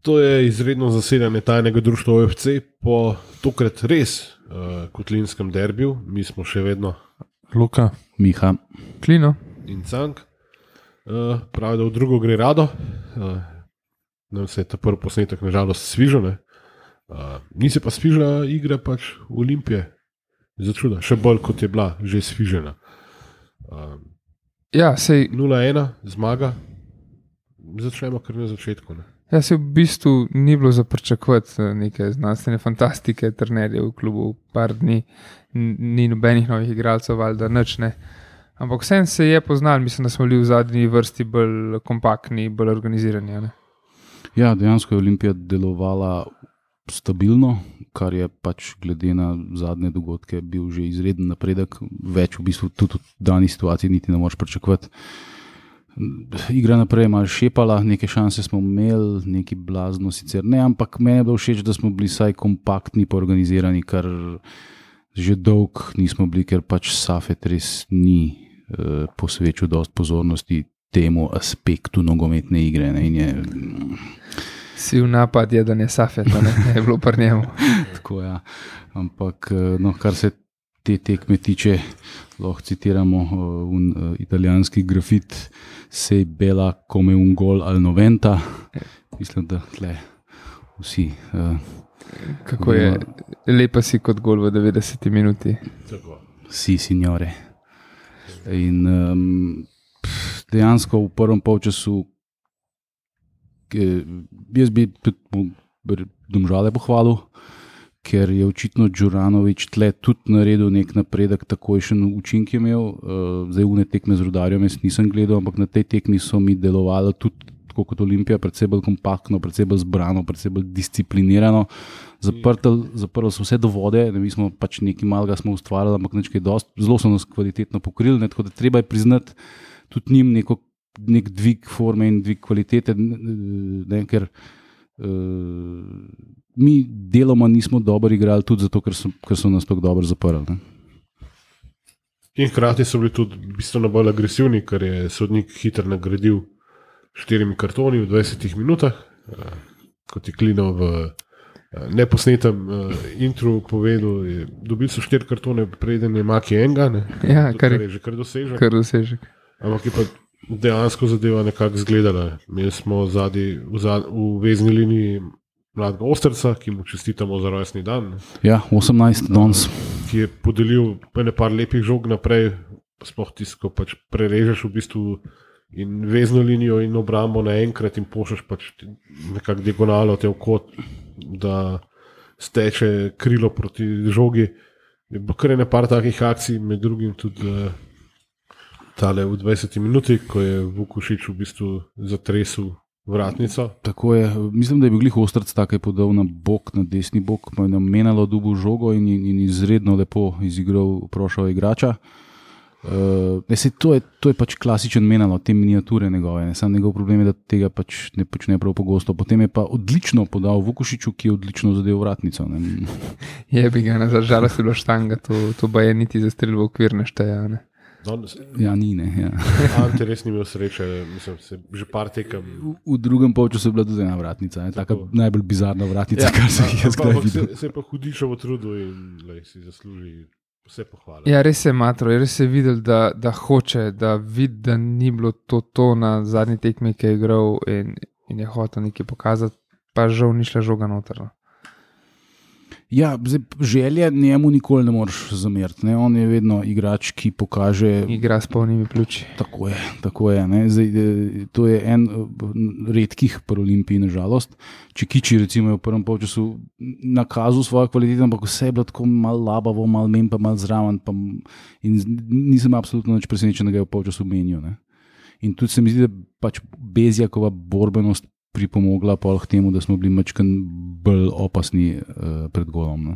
To je izredno zasedanje tajnega društva OFC po tokrat res kotlinskem derbiju. Mi smo še vedno Luka, Miha, Klino in Cank. Pravi, da v drugo gre rado. Nam se je ta prvi posnetek nažalost svižal. Ni se pa svižala igra pač v Olimpije. Začuda, še bolj kot je bila že svižena. Ja, sej 0-1 zmaga. Začnemo kar na začetku. Ne? Ja, se v bistvu ni bilo za pričakovati neke znanstvene fantastike, trenerjev v klubu, par dni, ni nobenih novih igralcev, valjda nič ne. Ampak vsem se je poznal, mislim, da smo bili v zadnji vrsti bolj kompaktni, bolj organizirani. Ne? Ja, dejansko je Olimpija delovala stabilno, kar je pač glede na zadnje dogodke bil že izreden napredek, več v bistvu tudi v dani situaciji niti ne moreš pričakovati. Igra naprej je malo šepala, neke šanse smo imeli, neki blazno sicer ne, ampak meni je bilo všeč, da smo bili saj kompaktni pa organizirani, kar že dolg nismo bili, ker pač Safet res ni posvečal dosti pozornosti temu aspektu nogometne igre. Ne, in je... Si v napad je, da ne Safet, ne je bilo pri njemu. Tako ja, ampak no, kar se te tekme tiče, lahko citiramo italijanski grafit sej bela come un gol al 90. Mislim, da tle vsi kako je lepa si kot gol v 90 minuti. Si, signore. In dejansko v prvem polčasu jaz bi Domžale pohvalil, ker je očitno Đuranović tle tudi naredil nek napredek, takojšen učinek je imel. Zdaj une tekme z Rudarjem jaz nisem gledal, ampak na tej tekmi so mi delovali tudi tako kot Olimpija, predvsej bolj kompaktno, predvsej bolj zbrano, predvsej bolj disciplinirano. Zaprli so vse do vode, mi smo pač nekaj malega smo ustvarjali, ampak nekaj dosti, zelo so nas kvalitetno pokrili, ne, tako da treba je priznati tudi njim nek dvig forme in dvig kvalitete, ne, ker mi deloma nismo dobro igrali tudi zato, ker so nas tako dobro zaprli. Ne. In hkrati so bili tudi bistveno bolj agresivni, ker je sodnik hitro nagradil 4 kartoni v 20 minutah, kot je Klino v neposnetem intru povedal, dobili so 4 kartone, preden je Maki enga, ja, kar je že kar dosežek. Ampak je pa dejansko zadeva nekako izgledala. Imeli smo v vezni liniji mladega Osterca, ki mu čestitamo za rojstni dan. Ja, 18 danes. Ki je podelil par lepih žog naprej, sploh tisto, ko pač prerežeš v bistvu in vezno linijo in obrambo naenkrat in pošljaš pač nekako diagonalo te v kot, da steče krilo proti žogi. Je bilo kar par takih akcij, med drugim tudi tale v 20 minuti, ko je Vukušić v bistvu zatresel vratnico. Tako je, mislim, da je bil glih Ostrc tako podal na bok, na desni bok, pa je namenalo dubu žogo in izredno lepo izigral prošel igrača. To je pač klasičen menalo, te miniature njegove, ne? Sam njegov problem je, da tega pač ne počne prav pogosto. Potem je pa odlično podal Vukušiću, ki je odlično zadev vratnico. Ne? Je bi ga nažalost bilo štanga, to ba je niti za strel v okvir ne šteja. Ne? Ja, ni ne. Ja. Ante res ni imel sreče, mislim, se že par tekem. V drugem polčasu je bila tudi ena vratnica, taka najbolj bizarna vratnica, kar se jaz kdaj videl. Se je pa hudišovo trudil in si zasluži vse pohvale. Ja, res je matro, res je videl, da hoče, da vidi, da ni bilo to na zadnji tekmi, ki je igral in je hotel nekaj pokazati, pa žal ni šla žoga noter. Ja, želje njemu nikoli ne moreš zameriti. Ne? On je vedno igrač, ki pokaže... Igra s polnimi pljuči. Tako je. Ne? Zdaj, to je en redkih pri Olimpiji, nažalost. Čekiči recimo je v prvem polčasu nakazal svojo kvaliteto, ampak vse je bilo tako malo labavo, malo menj, pa malo zraven. In nisem absolutno nič presenečen, da ga je v polčasu menil. Ne? In tudi se mi zdi, da pač Bezjakova borbenost pripomogla pa k temu, da smo bili mačkan bolj opasni pred golom. Ne?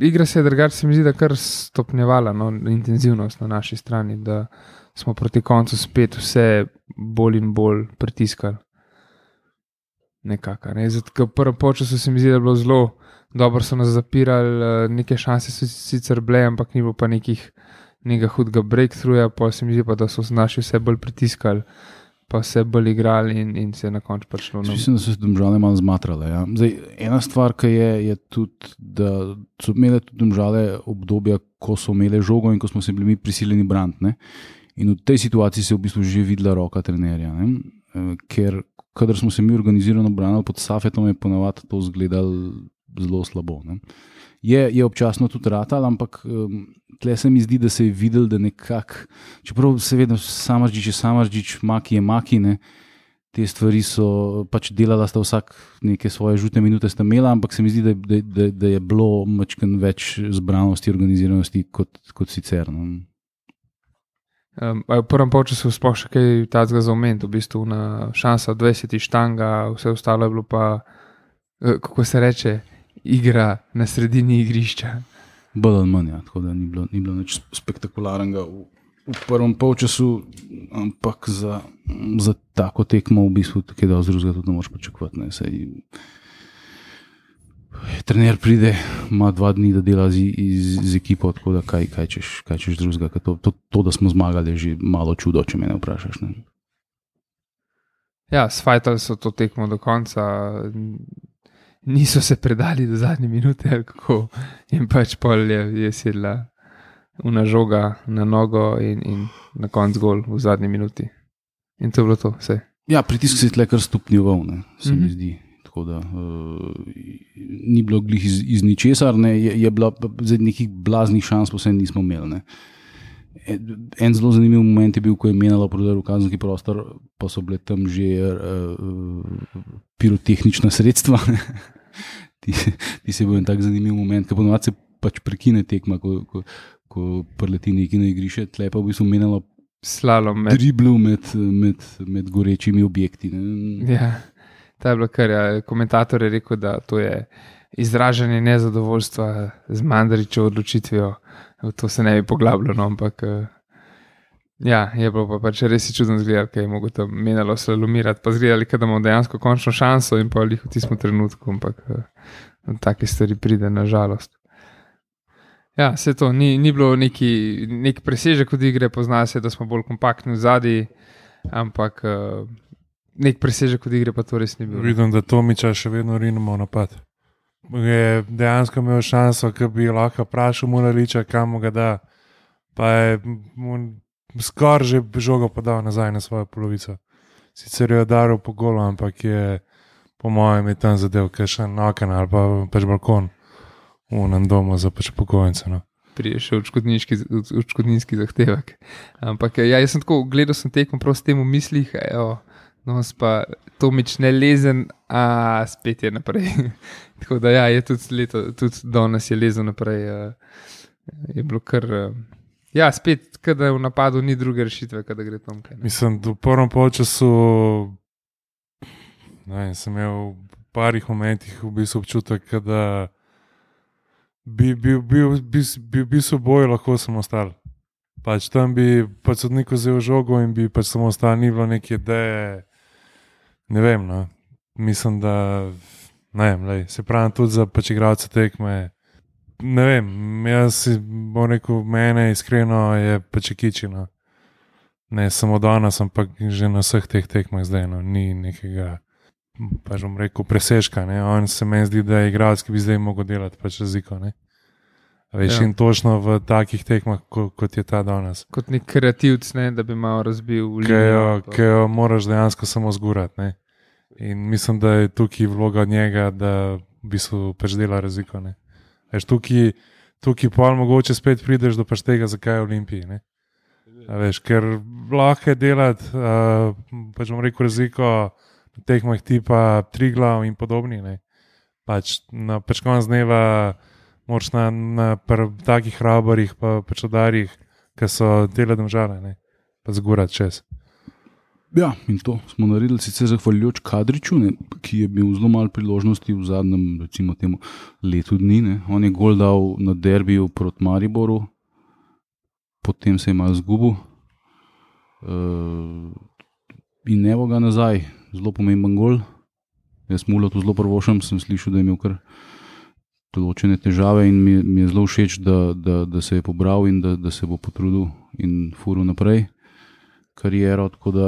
Igra se je drugače, se mi zdi, da kar stopnjevala intenzivnost na naši strani, da smo proti koncu spet vse bolj in bolj pritiskali. Nekako. Ne? Zato, v prvem polčasu se mi zdi, da je bilo zelo dobro, so nas zapirali, neke šanse so sicer bile, ampak ni bilo pa nekega hudega breakthroughja, pa se mi zdi pa, da so naši vse bolj pritiskali. pa se bolj igrali in se na koncu pač šlo. Mislim, da so se Domžale malo zmatrale. Ja. Zdaj, ena stvar, ki je tudi, da so imele tudi Domžale obdobja, ko so imele žogo in ko smo se bili mi prisiljeni braniti. In v tej situaciji se je v bistvu že videla roka trenerja. Ker kadar smo se mi organizirano branili pod Safetom, je ponavadi to izgledalo zelo slabo. Je občasno tudi ratal, ampak tle se mi zdi, da se je videl, da nekako, čeprav seveda Samardžić je Samardžić, Maki je Maki, te stvari so pač delala, sta vsak neke svoje žute minute sta imela, ampak se mi zdi, da je bilo mačken več zbranosti, organiziranosti kot sicer. V prvem polčasu sploh še kaj tazga za omen, v bistvu na šansa 20 štanga, vse ostalo je bilo pa, kako se reče, igra na sredini igrišča. Bolj ali manj, tako da ni bilo nič spektakularnega v prvem polčasu, ampak za tako tekmo v bistvu tako da drugega tudi ne moš pričakovati. Trener pride, ima 2 dni, da dela z ekipo, tako da kaj češ drugega. To, da smo zmagali, je že malo čudo, če me vprašaš. Ja, sfajtali so to tekmo do konca, niso se predali do zadnje minute, kako in pač pol je sedla una žoga na nogo in na konc gol v zadnji minuti. In to je bilo to, vse. Ja, pritisk se je tle kar stopnjeval, se mi zdi. Tako da ni bilo glih iz ničesar, je bilo nekih blaznih šans, pa vse nismo imeli. En zelo zanimiv moment je bil, ko je menjala prodaj v kazenski prostor, pa so bile tam že pirotehnična sredstva. Ti se bo en tak zanimiv moment, ker ponovadi se pač prekine tekma, ko preleti neki na igrišče, tle pa v bistvu menjala slalom driblu med gorečimi objekti. Ja. Ta je bilo kar, komentator je rekel, da to je izražanje nezadovoljstva z Mandarićevo odločitvijo. To se ne bi poglabljalo, ampak ja, je bilo pa pač res čudno zgledati, kaj je mogo tam menjalo slalomirati, pa zgledali, da imamo dejansko končno šanso in pa v tistem trenutku, ampak take stvari pride na žalost. Ja, vse to, ni bilo neki presežek od igre, pozna se, da smo bolj kompaktni v zadnji, ampak nek presežek od igre pa to res ni bilo. Vidim, da Tomiča še vedno rinemo v napad. Je dejansko imel šanso, ki bi lahko vprašal Mulaliča, kam mu ga da, pa je skoraj že žogo podal nazaj na svojo polovico. Sicer je daril po golu, ampak je po mojem je tam zadev kakšen oken ali pa pač balkon v enem domu za pač pokojnice. Prije še odškodninski zahtevek. Ampak ja, jaz sem tako, gledal sem tekmo prav s tem v mislih, no, pa Tomič ne lezen, a spet je naprej. Tako da ja, je tudi danes je lezel naprej. Je bilo kar, ja, spet, kada v napadu ni druge rešitve, kada gre tam kaj. Mislim, da v prvem polčasu sem imel v parih momentih v bistvu občutek, da bi boj lahko samo ostal. Pač tam bi pač sodnik vzel žogo in bi pač samo ostal, ni bilo neke ideje. Ne vem, no. Mislim, da se pravim tudi za pač igralce tekme. Ne vem, jaz si bom rekel, mene iskreno je pač kičino. Ne samo danes, ampak že na vseh teh tekmah zdaj, no. Ni nekega, pač bom rekel, presežka. Ne. On se meni zdi, da je igralec, ki bi zdaj mogel delati pač razliko. Ne. Veš, in točno v takih tekmah, kot je ta danes. Kot nek kreativc, ne, da bi malo razbil linijo. Ki jo moraš dejansko samo zgurati. Ne. In mislim, da je tukaj vloga njega, da bi se pač dela razliko. Ne. Veš, tukaj pol mogoče spet prideš do pač tega, zakaj je v Olimpiji. Ne. Veš, ker lahko je delati, pač bom rekel, razliko na tekmah tipa Triglav in podobni. Ne. Pač na pač konec dneva moraš na takih hrabarih pa pač udarih, ki so dele Domžale, pa zgurati čez. Ja, in to smo naredili sicer zahvaljujoč Kadriču, ki je bil zelo malo priložnosti v zadnjem, recimo temu, letu dni. On je gol dal na derbiju proti Mariboru, potem se je malo zgubil in evo ga nazaj, zelo pomemben gol. Jaz mu to zelo prvošam, sem slišal, da je imel kar določene težave in mi je zelo všeč, da se je pobral in da se bo potrudil in furil naprej. kariero, tako da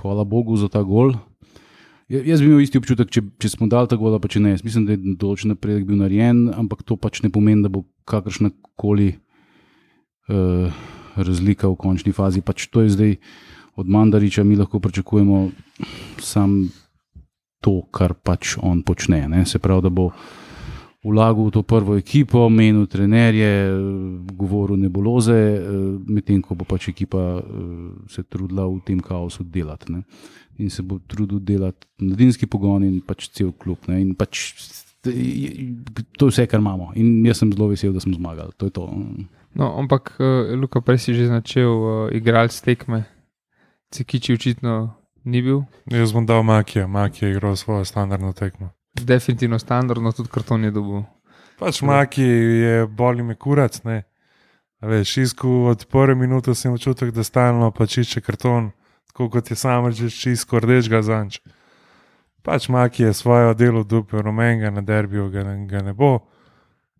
hvala Bogu za ta gol. Jaz bi imel isti občutek, če smo dali ta gol, pa če ne. Jaz mislim, da je določen napredek bil narejen, ampak to pač ne pomeni, da bo kakršnakoli razlika v končni fazi. Pač to je zdaj od Mandariča, mi lahko pričakujemo sam to, kar pač on počne. Ne? Se pravi, da bo vlagal v to prvo ekipo, menil trenerje, govoril nebuloze, medtem ko bo pač ekipa se trudila v tem kaosu delati. Ne? In se bo trudil delati mladinski pogon in pač cel klub. Ne? In pač to je vse, kar imamo. In jaz sem zelo vesel, da smo zmagali. To je to. No, ampak, Luka, prej si že začel igralec tekme. Cekiči očitno ni bil. Jaz bom dal Makija. Maki je igral svojo standardno tekmo. Definitivno standardno, tudi karton je dobil. Pač Maki je boli me kurac, ne. Veš, Isku od prve minute sem občutek, da stalno pač išče karton, tako kot je sam že Isko rdečega zanč. Pač Maki je svojo delo dupel, rumenega na derbiju ga ne bo.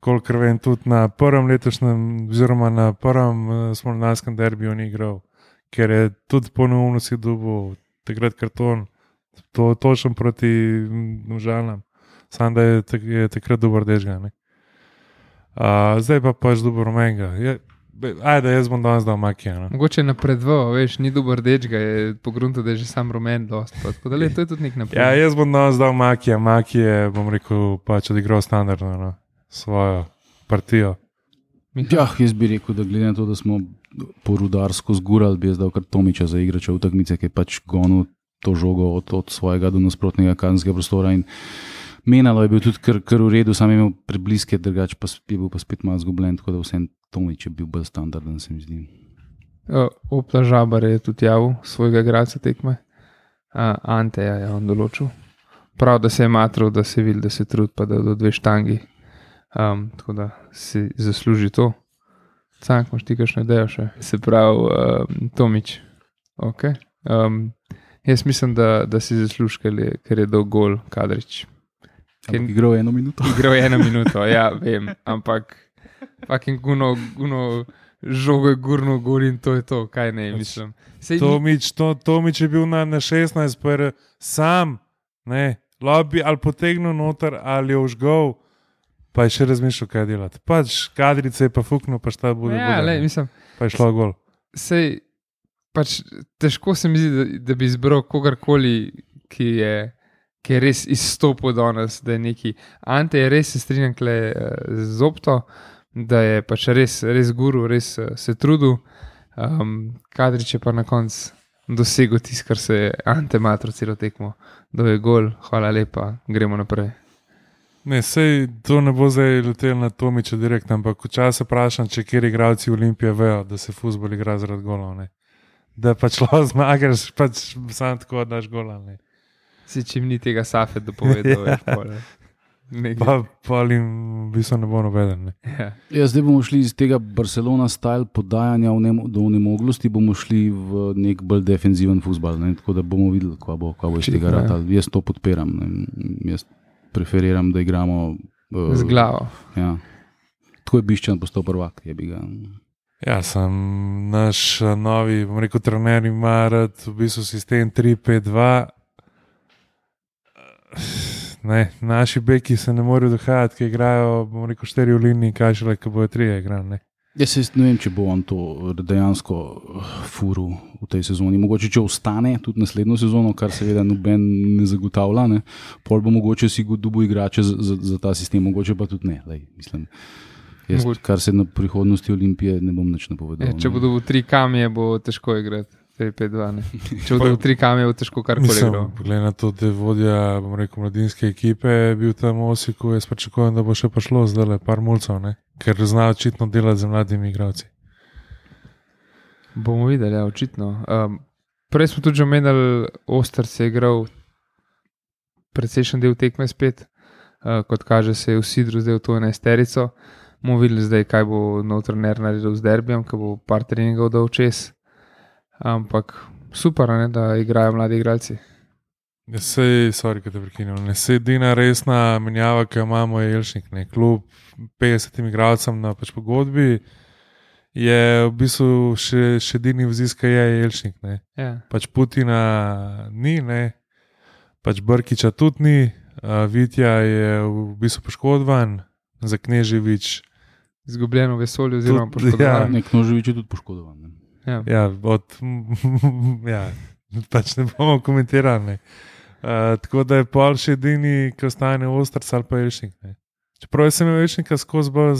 Kolikor vem, tudi na prvem letošnjem, oziroma na prvem smolnarskem derbiju ni igral, ker je tudi ponovno si dobil takrat karton, to točno proti Domžalam, samo da je takrat dober rdečega, ne. Zdaj pa pač dober rumenega. Ajde, jaz bom danes dal Makija. No. Mogoče napredval, veš, ni dober rdečega, je pogrunto, da je že sam rumen dost. Tako da to je tudi nek napredek. Ja, jaz bom danes dal Makija. Maki je, bom rekel, pač odigral standardno, no, svojo partijo. Ja, jaz bi rekel, da glede na to, da smo po Rudarsko zgurali, bi jaz dal kar Tomiča za igrača v takmice, ki je pač gonil to žogo od svojega do nasprotnega kazenskega prostora in menalo je bil tudi kar v redu, sam je imel prebliske, drugače pa je bil pa spet malo zgubljen, tako da vsem Tomič je bil bolj standarden, se mi zdi. Opla Žabar je tudi javil svojega igralca tekme. Anteja je on določil. Prav, da se je matral, da se vidi, da se trud, pa da do 2 štangi. Tako da si zasluži to. Cank, imaš ti kakšno idejo še? Se pravi, Tomič. Ok. Jaz mislim, da si zasluži, ker je dal gol Kadrič. Ampak igral 1 minuto. Igral 1 minuto, ja, vem, ampak fucking guno žogo je gurno gol in to je to, kaj ne, mislim. Tomič je bil na 16, pa sam, ne, lobby ali potegnil noter ali je užgal, pa je še razmišljal, kaj delati. Pač Kadrice je pa fuknil, pa šta bude. Ja, le, mislim. Pa je šlo gol. Sej, pač težko se mi zdi, da bi izbral kogarkoli, ki je res izstopil danes, da je neki. Ante je res, se strinjam z Opto, da je pač res guru, res se trudil. Kadrič je pa na koncu dosegel tisto, kar se je Ante matro celo tekmo. Da je gol, hvala lepa, gremo naprej. Ne, sej to ne bo zdaj letel na Tomiča direktno, ampak včasih vprašam, če kjer igralci Olimpije vejo, da se fuzbol igra zaradi golov, ne. Da pač lahko zmagaš, pač sam tako daš gola, ne. Si čim ni tega Safet dopovedal, veš, pole. Pa jim v bistvu ne bo nobeden, ne. Ja, zdaj bomo šli iz tega Barcelona style podajanja do onemoglosti, bomo šli v nek bolj defenziven fuzbal, ne, tako da bomo videli, kva bo iz tega ratal. Jaz to podpiram, ne. Jaz preferiram, da igramo z glavo. Ja. Tako je Bišćan postal prvak, je bi ga. Ja, sem naš novi, bom rekel, trener ima rad v bistvu sistem 3-5-2. Ne, naši beki se ne morejo dohajati, ki igrajo, bom rekel, 4 v liniji, kaj šele, ko bojo 3 igrali, ne. Jaz ne vem, če bo on to dejansko furil v tej sezoni. Mogoče, če ostane tudi naslednjo sezono, kar seveda noben ne zagotavlja, ne, pol bo mogoče si dobil igrače za ta sistem, mogoče pa tudi ne. Lej, mislim, jaz, kar se na prihodnosti Olimpije ne bom nič napovedal. Če bo dobil 3 kamije, bo težko igrati. 4-5-2, ne. Če bo dobil 3 kamije, bo težko karkoli igral. Glede na to, da je vodja, bom rekel, mladinske ekipe, bil tam v Osiku, jaz pričakujem, da bo še pa šlo zdaj par mulcev, ne. Ker zna očitno delati z mladimi igralci. Bomo videli, ja, očitno. Prej smo tudi že omenili, Ostrc je igral precejšen del tekme spet, kot kaže se je v Sidru zdaj v to 11-terico. Bomo videli zdaj, kaj bo nov trener naredil z derbijem, ko bo par treningov dal čez. Ampak super, ne, da igrajo mladi igralci. Sorry, kad te prekinjam. Ne se edina resna menjava, ki jo imamo, je Jelšnik, ne. Klub 50 igralcem na pač pogodbi je v bistvu še edini vziska je Jelšnik. Ne. Ja. Pač Putina ni, ne. Pač Brkiča tudi ni, Vitja je v bistvu poškodovan, za Kneževič. Izgubljeno vesolje, oziroma Tudi, poškodovan. Nek Noževič je tudi poškodovan. Ne? Ja. Ja, pač ne bomo komentirali. Ne. Tako da je pol še edini, ki ostane Ostrc ali pa Jelšnik. Ne. Čeprav sem imel Jelšnika skozi bolj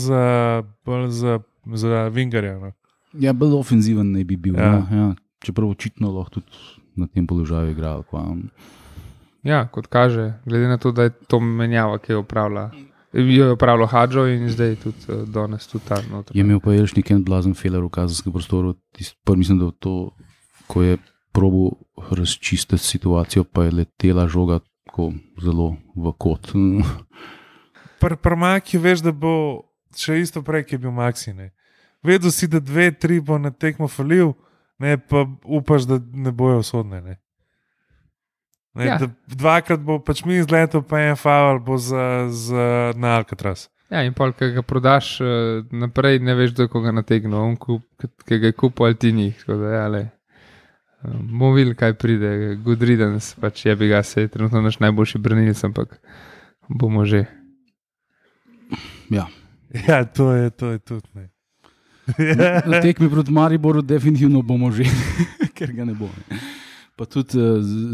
za Vingarja. No. Ja, bolj ofenziven ne bi bil. Ja. No? Ja. Čeprav očitno lahko tudi na tem položaju igral. Ja, kot kaže, glede na to, da je to menjava, ki jo je opravljal Hadžo in zdaj tudi danes tudi ta noter. Je imel pa Jelšnik en blazen feler v kazenskem prostoru. Mislim, da to, ko je probil razčistiti situacijo, pa je letela žoga tako zelo v kot. Pri Maki veš, da bo še isto prej, ki je bil Maxi. Ne. Vedel si, da 2-3 bo na tekmo falil, ne, pa upaš, da ne bojo usodne. Ne. Ne, Ja. Dvakrat bo pač mi izletel, pa en faul bo za na Alcatraz. Ja, in pol, ki ga prodaš naprej, ne veš, do koga nategnil, on ki ga je kupil ali ti njih. Tako da, ja, le. Bomo videli, kaj pride, good riddance, pač je bi ga se, trenutno naš najboljši branilec, ampak bomo že. Ja. Ja, to je tudi. Ne. Na tekmi proti Mariboru definitivno bomo že, ker ga ne bo. Ne. Pa tudi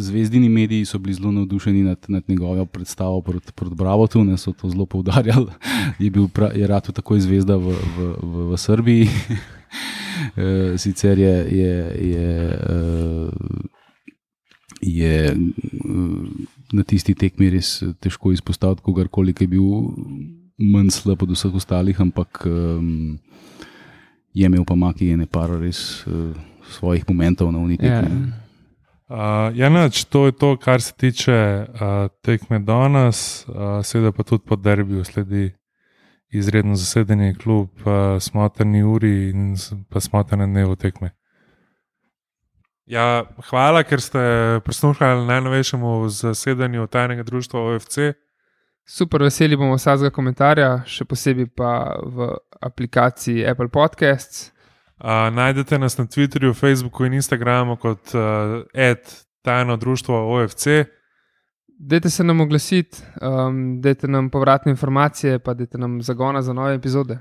zvezdini mediji so bili zelo navdušeni nad njegovo predstavo proti Bravotu, ne, so to zelo poudarjali. Je rad takoj zvezda v Srbiji. Sicer je na tisti tekmi res težko izpostaviti kogarkoli, ki je bil manj slab od vseh ostalih, ampak je imel pa Maki ene par res svojih momentov na uniji tekmi. To je to, kar se tiče tekme danes, seveda pa tudi po derbiju sledi izredno zasedeni klub, smotrni uri in pa smotrne dnevu tekme. Ja, hvala, ker ste prisluhnili najnovejšemu zasedanju tajnega društva OFC. Super, veseli bomo vsakega komentarja, še posebej pa v aplikaciji Apple Podcasts. Najdete nas na Twitterju, Facebooku in Instagramu kot @tajno društvo OFC. Dajte se nam oglasiti, dajte nam povratne informacije, pa dajte nam zagona za nove epizode.